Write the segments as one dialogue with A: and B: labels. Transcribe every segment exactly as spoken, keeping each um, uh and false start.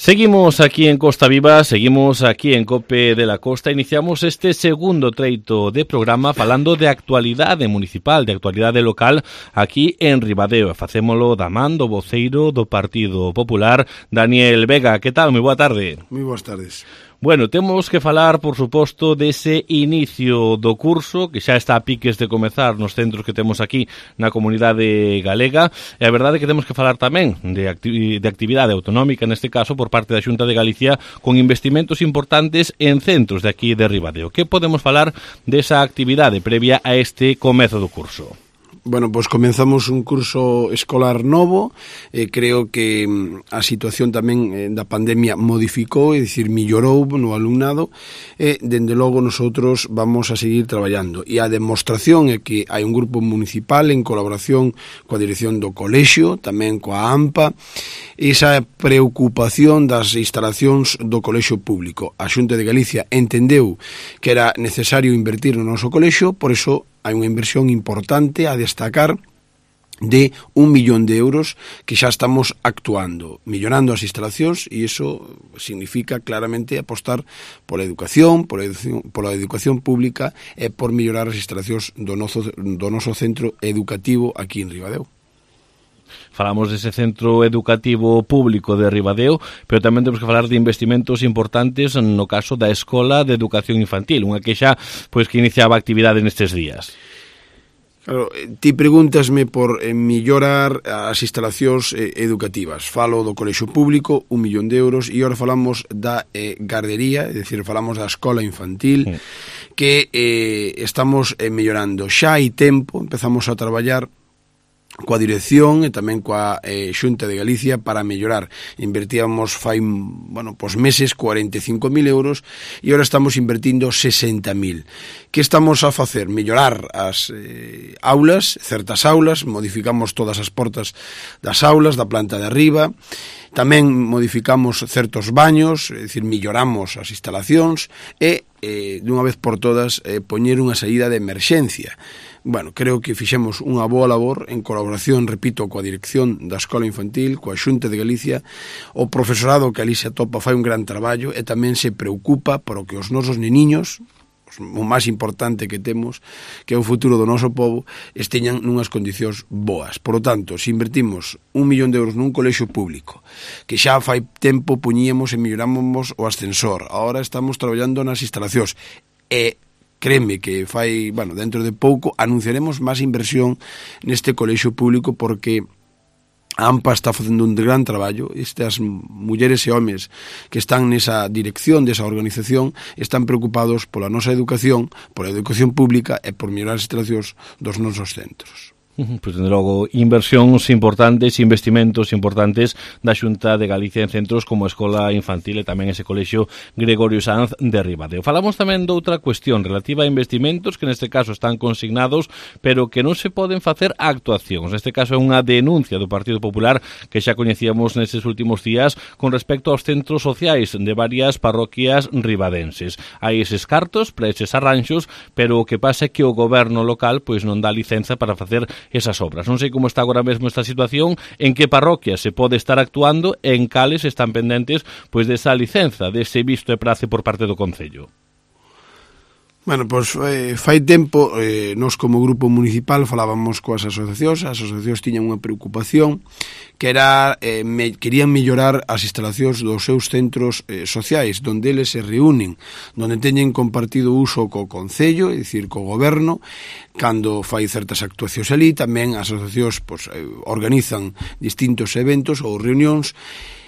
A: Seguimos aquí en Costa Viva, seguimos aquí en COPE de la Costa. Iniciamos este segundo treito de programa falando de actualidade municipal, de actualidade local aquí en Ribadeo. Facémolo da man do voceiro do Partido Popular, Daniel Vega. Que tal? Moi boa tarde.
B: Moi boas tardes.
A: Bueno, temos que falar, por suposto, dese inicio do curso, que xa está a piques de comezar nos centros que temos aquí na comunidade galega, e a verdade é que temos que falar tamén de, acti- de actividade autonómica, neste caso, por parte da Xunta de Galicia, con investimentos importantes en centros de aquí de Ribadeo. Que podemos falar desa actividade previa a este comezo do curso?
B: Bueno, pois comenzamos un curso escolar novo, eh, creo que a situación tamén eh, da pandemia modificou, é dicir, millorou no alumnado, e, dende logo, nosotros vamos a seguir traballando. E a demostración é que hai un grupo municipal en colaboración coa dirección do colexio, tamén coa AMPA, esa preocupación das instalacións do colexio público. A Xunta de Galicia entendeu que era necesario invertir no noso colexio, por iso hai unha inversión importante a destacar de un millón de euros que xa estamos actuando, millorando as instalacións, e iso significa claramente apostar pola educación, pola educación, pola educación pública e por mellorar as instalacións do noso, do noso centro educativo aquí en Ribadeo.
A: Falamos dese centro educativo público de Ribadeo, pero tamén temos que falar de investimentos importantes no caso da Escola de Educación Infantil, unha que xa pois, que iniciaba actividade nestes días.
B: Claro, ti pregúntasme por eh, mellorar as instalacións eh, educativas. Falo do colexio público, un millón de euros, e agora falamos da eh, gardería, é dicir, falamos da escola infantil, sí, que eh, estamos eh, mellorando. Xa hai tempo, empezamos a traballar coa dirección e tamén coa eh, Xunta de Galicia para mellorar. Invertíamos fai, bueno, pos meses cuarenta e cinco mil euros e agora estamos invertindo sesenta mil. Que estamos a facer? Mellorar as eh, aulas, certas aulas, modificamos todas as portas das aulas, da planta de arriba, tamén modificamos certos baños, é dicir, melloramos as instalacións e, eh, dunha vez por todas, eh, poñer unha saída de emerxencia. Bueno, creo que fixemos unha boa labor en colaboración, repito, coa dirección da Escola Infantil, coa Xunta de Galicia. O profesorado que ali se atopa fai un gran traballo e tamén se preocupa por o que os nosos neniños, o máis importante que temos, que é o futuro do noso povo, esteñan nunhas condicións boas. Por lo tanto, se invertimos un millón de euros nun colexio público, que xa fai tempo puñíamos e melloramos o ascensor, agora estamos traballando nas instalacións, e créeme que fai, bueno, dentro de pouco anunciaremos máis inversión neste colexio público, porque a AMPA está facendo un gran traballo. Estas mulleres e homes que están nesa dirección desa organización están preocupados pola nosa educación, pola educación pública e por mellorar as instalacións dos nosos centros.
A: Pois, dende logo, inversións importantes, investimentos importantes da Xunta de Galicia en centros como a Escola Infantil e tamén ese colexio Gregorio Sanz de Ribadeo. Falamos tamén doutra cuestión relativa a investimentos que neste caso están consignados, pero que non se poden facer actuacións. Neste caso é unha denuncia do Partido Popular que xa coñecíamos nestes últimos días con respecto aos centros sociais de varias parroquias ribadenses. Hai eses cartos para eses arranxos, pero o que pasa é que o goberno local pois non dá licenza para facer esas obras. Non sei como está agora mesmo esta situación, en que parroquias se pode estar actuando e en cales están pendentes pois desa licenza, dese visto e prace por parte do Concello.
B: Bueno, pois eh, fai tempo, eh, nós como grupo municipal falábamos coas asociacións, as asociacións tiñan unha preocupación que era, eh, me, querían mellorar as instalacións dos seus centros eh, sociais, donde eles se reúnen, donde teñen compartido uso co Concello, é dicir, co Goberno, cando fai certas actuacións ali. Tamén as asociacións pois, eh, organizan distintos eventos ou reunións,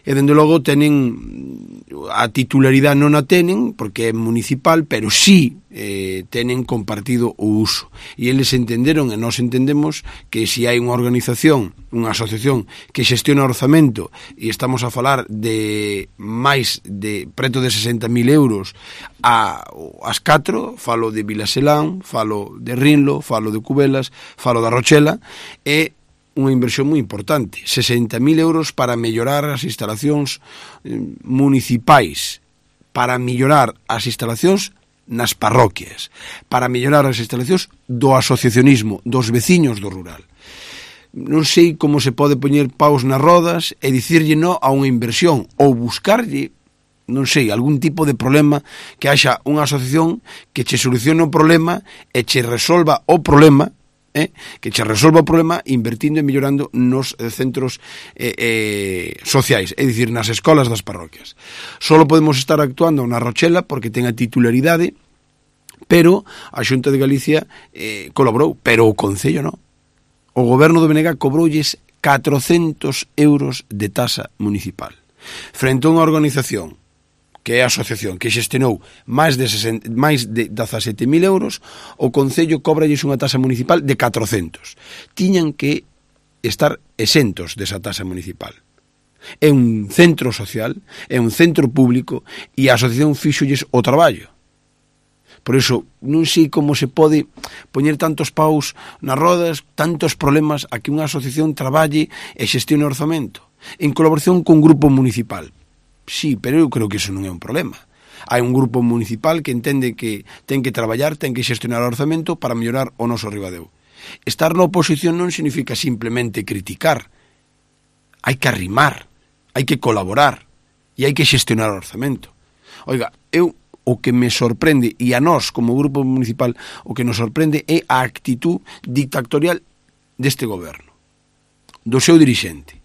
B: e dende logo tenen a titularidade, non a tenen porque é municipal, pero sí eh, tenen compartido o uso, e eles entenderon e nós entendemos que se hai unha organización, unha asociación que xestiona orzamento, e estamos a falar de máis de preto de sesenta mil euros a, as catro, falo de Vilaselán, falo de Rinlo, falo de Cubelas, falo da Rochela, e unha inversión moi importante, sesenta mil euros para mellorar as instalacións municipais, para mellorar as instalacións nas parroquias, para mellorar as instalacións do asociacionismo, dos veciños do rural. non sei como se pode poñer paus nas rodas e dicirlle no a unha inversión ou buscarlle, non sei, algún tipo de problema, que haxa unha asociación que che solucione o problema e che resolva o problema, eh, que che resolva o problema invertindo e mellorando nos eh, centros eh, eh, sociais, é dicir, nas escolas das parroquias. Solo podemos estar actuando na Rochela porque ten a titularidade, pero a Xunta de Galicia eh, colaborou, pero o Concello non. O goberno do B N G cobrolles catrocentos euros de tasa municipal frente a unha organización que é a asociación que xestionou máis de, sesenta, máis de dezasete mil euros, o Concello cobralles unha tasa municipal de catrocentos. Tiñan que estar exentos desa tasa municipal. É un centro social, é un centro público, e a asociación fíxolles o traballo. Por iso, non sei como se pode poñer tantos paus nas rodas, tantos problemas a que unha asociación traballe e xestione o orzamento, en colaboración con un grupo municipal. Sí, pero eu creo que iso non é un problema. Hai un grupo municipal que entende que ten que traballar, ten que xestionar o orzamento para mellorar o noso Ribadeo. Estar na oposición non significa simplemente criticar. Hai que arrimar, hai que colaborar e hai que xestionar o orzamento. Oiga, eu o que me sorprende, e a nós como grupo municipal o que nos sorprende é a actitud dictatorial deste goberno, do seu dirixente.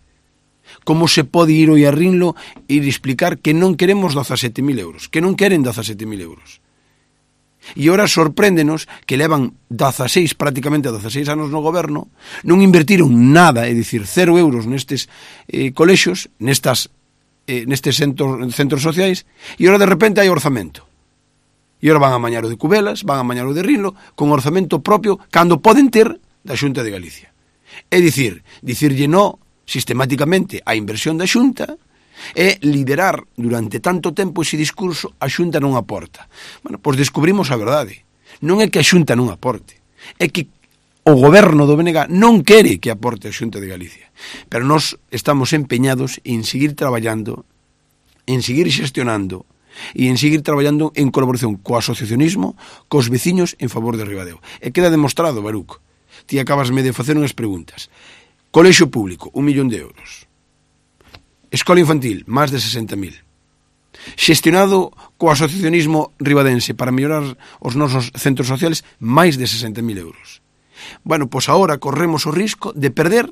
B: Como se pode ir hoy a Rinlo e explicar que non queremos dezasete mil euros, que non queren dezasete mil euros. E ora sorpréndenos que levan dezaseis, prácticamente dezaseis anos no goberno, non invertiron nada, é dicir, cero euros nestes eh, colexios, nestas, eh, nestes centros, centros sociais, e ora de repente hai orzamento. E ora van a mañar o de Cubelas, van a mañar o de Rinlo, con orzamento propio, cando poden ter da Xunta de Galicia. É dicir, dicirlle no sistemáticamente a inversión da Xunta é liderar durante tanto tempo ese discurso a Xunta non aporta. Bueno, pois descubrimos a verdade. Non é que a Xunta non aporte, é que o goberno do B N G non quere que aporte a Xunta de Galicia. Pero nós estamos empeñados en seguir traballando, en seguir xestionando e en seguir traballando en colaboración co asociacionismo, cos veciños en favor de Ribadeo. E queda demostrado, Baruc. Ti acabasme de facer unhas preguntas. Colexio público, un millón de euros. Escola infantil, máis de sesenta mil. Xestionado co asociacionismo ribadense para mellorar os nosos centros sociales, máis de sesenta mil euros. Bueno, pois agora corremos o risco de perder,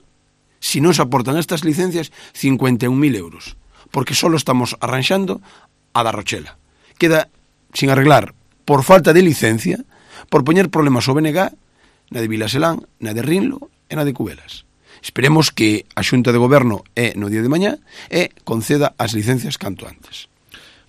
B: se non se aportan estas licencias, cincuenta e un mil euros. Porque só estamos arranxando a da Rochela. Queda sin arreglar por falta de licencia, por poñer problemas ao B N G, na de Vilaselán, na de Rinlo e na de Cubelas. Esperemos que a Xunta de Goberno é no día de mañá e conceda as licencias canto antes.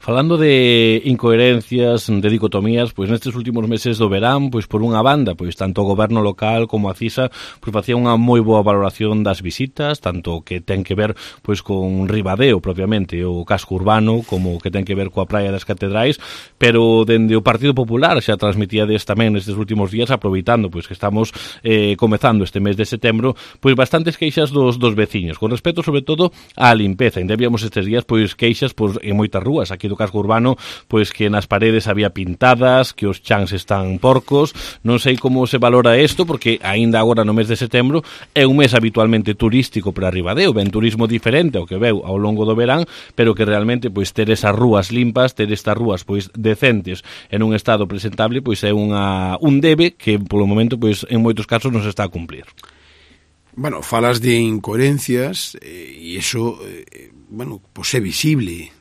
A: Falando de incoherencias, de dicotomías, pois nestes últimos meses do verán, pois por unha banda, pois tanto o goberno local como a CISA, pois facía unha moi boa valoración das visitas, tanto que ten que ver pois con Ribadeo propiamente, o casco urbano, como que ten que ver coa Praia das Catedrais, pero dende o Partido Popular xa transmitíades tamén nestes últimos días, aproveitando pois que estamos eh, comezando este mes de setembro, pois bastantes queixas dos, dos veciños, con respecto sobre todo á limpeza. Ainda víamos estes días pois queixas pois, en moitas rúas aquí do casco urbano, pois que nas paredes había pintadas, que os chans están porcos. Non sei como se valora isto, porque aínda agora no mes de setembro é un mes habitualmente turístico para Ribadeo, ben turismo diferente ao que veu ao longo do verán, pero que realmente pois ter esas rúas limpas, ter estas rúas pois decentes en un estado presentable, pois é unha un debe que polo momento pois en moitos casos non se está a cumplir.
B: Bueno, falas de incoherencias e eh, iso eh, bueno, pois é visible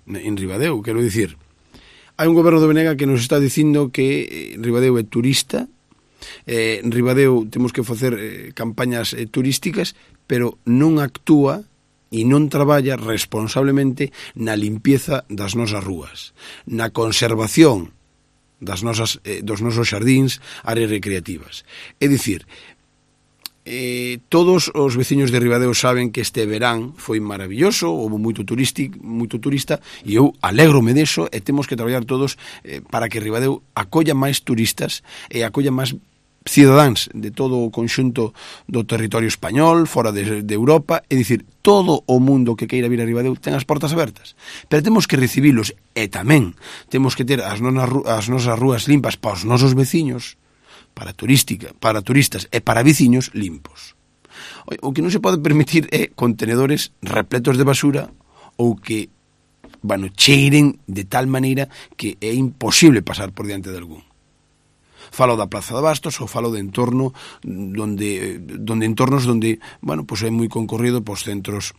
B: en Ribadeo, quero dicir. Hai un goberno do B N G que nos está dicindo que Ribadeo é turista, eh, en Ribadeo temos que facer eh, campañas eh, turísticas, pero non actúa e non traballa responsablemente na limpieza das nosas rúas, na conservación das nosas, eh, dos nosos xardíns, áreas recreativas. É dicir, Eh, todos os veciños de Ribadeo saben que este verán foi maravilloso, houve moito turístico, moito turista, e eu alégrome deso, e temos que traballar todos eh, para que Ribadeo acolla máis turistas e acolla máis cidadáns de todo o conxunto do territorio español, fora de, de Europa, é dicir, todo o mundo que queira vir a Ribadeo ten as portas abertas, pero temos que recibilos, e tamén temos que ter as, nonas, as nosas rúas limpas para os nosos veciños, para turística, para turistas e para veciños limpos. O que non se pode permitir é contenedores repletos de basura ou que, bueno, cheiren de tal maneira que é imposible pasar por diante de algún. Falo da Praza de Bastos ou falo de entorno donde, donde entornos donde, bueno, pues é moi concorrido por centros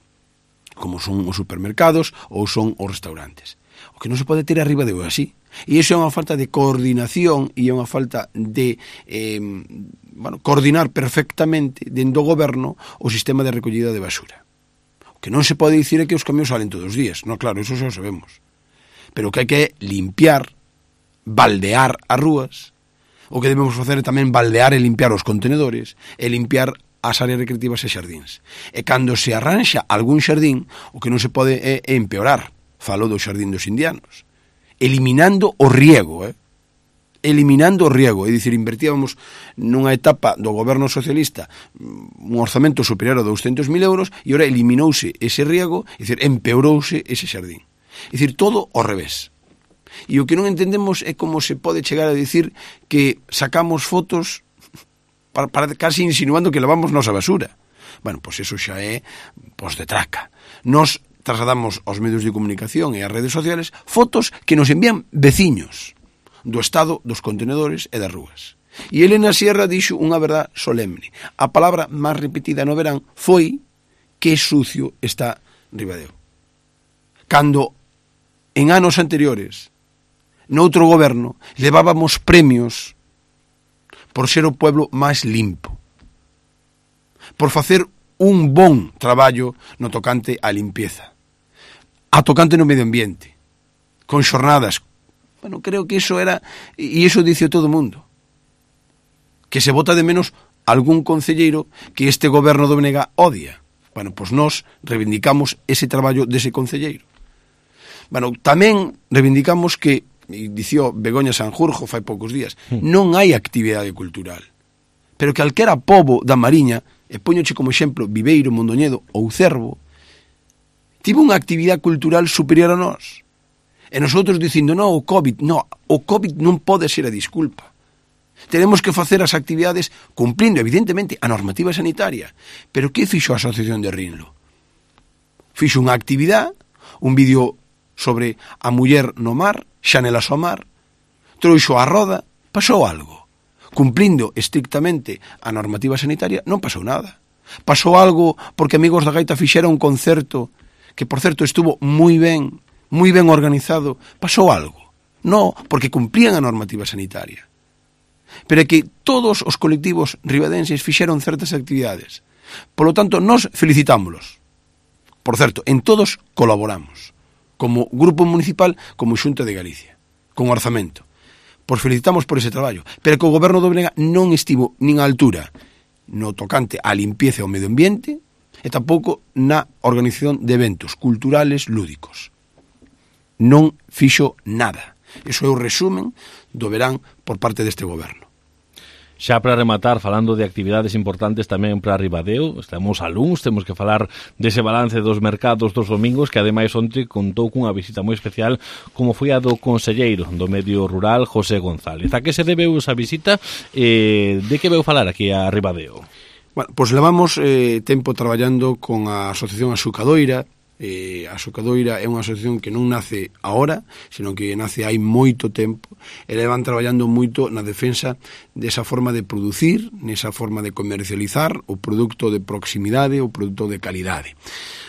B: como son os supermercados ou son os restaurantes. O que non se pode ter arriba de así. E iso é unha falta de coordinación e é unha falta de eh, bueno, coordinar perfectamente dentro do goberno o sistema de recollida de basura. O que non se pode dicir é que os camións salen todos os días. No, claro, eso xa o sabemos. Pero o que hai que limpiar, baldear as rúas. O que debemos facer é tamén baldear e limpiar os contenedores e limpiar as áreas recreativas e xardíns. E cando se arranxa algún xardín, o que non se pode é empeorar. Falo do xardín dos indianos. Eliminando o riego, eh? Eliminando o riego. É dicir, invertíamos nunha etapa do goberno socialista un orzamento superior a douscentos mil euros e ora eliminouse ese riego, é dicir, empeorouse ese xardín. É dicir, todo ao revés. E o que non entendemos é como se pode chegar a dicir que sacamos fotos para, para casi insinuando que lavamos nosa basura. Bueno, pois eso xa é pos de traca. Nos trasladamos aos medios de comunicación e ás redes sociales fotos que nos envían veciños do estado dos contenedores e das rúas. E Elena Sierra dixo unha verdad solemne. A palabra máis repetida no verán foi que sucio está Ribadeo. Cando en anos anteriores noutro goberno levábamos premios por ser o pueblo máis limpo, por facer un bon traballo no tocante á limpieza, a tocante no medio ambiente, con xornadas. Bueno, creo que iso era, e iso dice todo o mundo, que se bota de menos algún concelleiro que este goberno do B N G odia. Bueno, pois nós reivindicamos ese traballo dese concelleiro. Bueno, tamén reivindicamos que, e dicía Begoña Sanjurjo fai poucos días, non hai actividade cultural, pero que calquera pobo da Mariña, e poñoche como exemplo Viveiro, Mondoñedo ou Cervo, tivo unha actividade cultural superior a nós. E nosotros dicindo, non, o COVID, non, o COVID non pode ser a disculpa. Tenemos que facer as actividades cumplindo, evidentemente, a normativa sanitaria. Pero que fixo a Asociación de Rinlo? Fixo unha actividade, un vídeo sobre a muller no mar, xanelas ao mar, trouxo a roda, pasou algo. Cumplindo estrictamente a normativa sanitaria, non pasou nada. Pasou algo porque Amigos da Gaita fixera un concerto que, por certo, estuvo moi ben, moi ben organizado. Pasou algo. Non, porque cumplían a normativa sanitaria. Pero é que todos os colectivos ribadenses fixeron certas actividades. Por lo tanto, nós felicitámoslos. Por certo, en todos colaboramos, como Grupo Municipal, como Xunta de Galicia, con orzamento. Pois felicitamos por ese traballo, pero que o goberno do B N G non estivo nin á altura no tocante á limpieza ao medio ambiente e tampouco na organización de eventos culturales lúdicos. Non fixo nada. Iso é o resumen do verán por parte deste goberno.
A: Xa para rematar, falando de actividades importantes tamén para Ribadeo, estamos a luns, temos que falar dese balance dos mercados dos domingos, que ademais onte contou cunha visita moi especial como foi a do conselleiro do medio rural, José González. A que se debeu esa visita? Eh, de que veu falar aquí a Ribadeo?
B: Bueno, pois levamos eh, tempo traballando con a Asociación Asucadoira. Eh, a Asucadoira é unha asociación que non nace agora, senón que nace hai moito tempo, e levan traballando moito na defensa desa forma de producir, nesa forma de comercializar o produto de proximidade, o produto de calidade.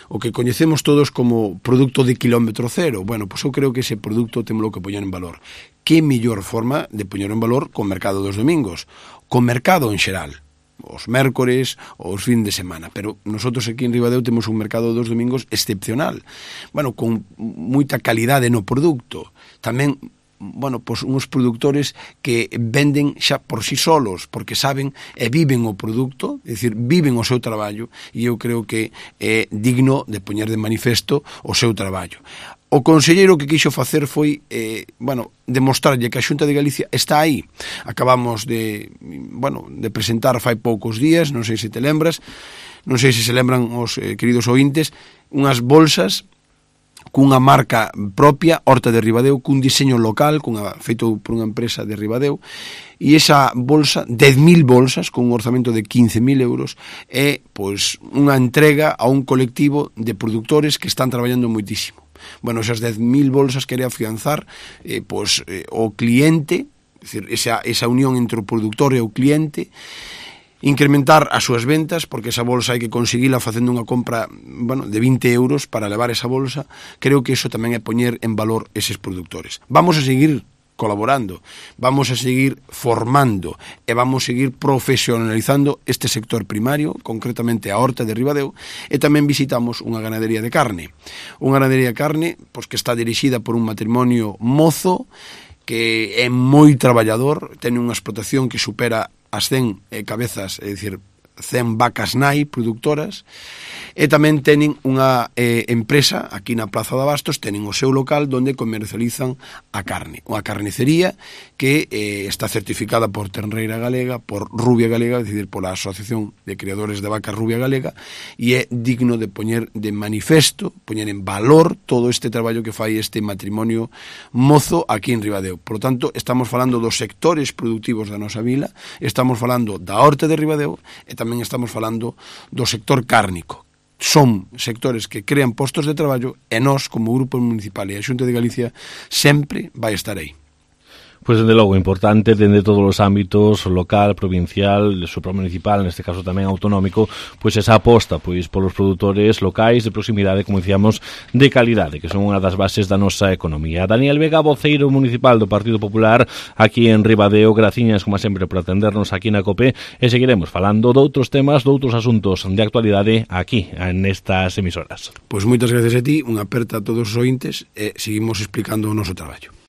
B: O que coñecemos todos como produto de kilómetro cero. Bueno, pois eu creo que ese produto temos que poñer en valor. Que mellor forma de poñer en valor co mercado dos domingos, co mercado en xeral, os mércores, os fin de semana, pero nosotros aquí en Ribadeo temos un mercado dos domingos excepcional, bueno, con moita calidade no produto, tamén, bueno, pois uns produtores que venden xa por si solos, porque saben e viven o produto, é dicir, viven o seu traballo, e eu creo que é digno de poñer de manifesto o seu traballo. O conselleiro que quixo facer foi, eh, bueno, demostrarlle que a Xunta de Galicia está aí. Acabamos de, bueno, de presentar fai poucos días, non sei se te lembras, non sei se se lembran os eh, queridos ointes, unhas bolsas cunha marca propia, Horta de Ribadeo, cun diseño local, cunha, feito por unha empresa de Ribadeo, e esa bolsa, dez mil bolsas, con un orzamento de quince mil euros, é pois unha entrega a un colectivo de produtores que están traballando moitísimo. Bueno, esas dez mil bolsas quere afianzar eh, pois, eh, o cliente, é dicir, esa, esa unión entre o produtor e o cliente, incrementar as súas ventas, porque esa bolsa hai que conseguila facendo unha compra, bueno, de vinte euros para levar esa bolsa. Creo que iso tamén é poñer en valor eses produtores. Vamos a seguir colaborando, vamos a seguir formando e vamos a seguir profesionalizando este sector primario, concretamente a Horta de Ribadeo, e tamén visitamos unha ganadería de carne. Unha ganadería de carne pois, que está dirixida por un matrimonio mozo, que é moi traballador, ten unha explotación que supera as cen eh, cabezas, é dicir, cen vacas nai productoras, e tamén tenen unha eh, empresa aquí na Praza de Abastos, tenen o seu local onde comercializan a carne, unha carnicería que eh, está certificada por Tenreira Galega, por Rubia Galega, é dicir, pola Asociación de Criadores de Vacas Rubia Galega, e é digno de poñer de manifesto, poñer en valor todo este traballo que fai este matrimonio mozo aquí en Ribadeo. Por lo tanto, estamos falando dos sectores productivos da nosa vila, estamos falando da Horta de Ribadeo e tamén estamos falando do sector cárnico. Son sectores que crean postos de traballo e nós, como Grupo Municipal e a Xunta de Galicia, sempre vai estar aí.
A: Pois, dende logo, importante dende todos os ámbitos, local, provincial, supramunicipal, neste caso tamén autonómico, pois esa aposta pois polos produtores locais de proximidade, como dicíamos, de calidade, que son unha das bases da nosa economía. Daniel Vega, voceiro municipal do Partido Popular aquí en Ribadeo, graciñas, como sempre, por atendernos aquí na COPE, e seguiremos falando doutros temas, doutros asuntos de actualidade aquí, nestas emisoras.
B: Pois moitas gracias a ti, unha aperta a todos os ointes, e seguimos explicando o noso traballo.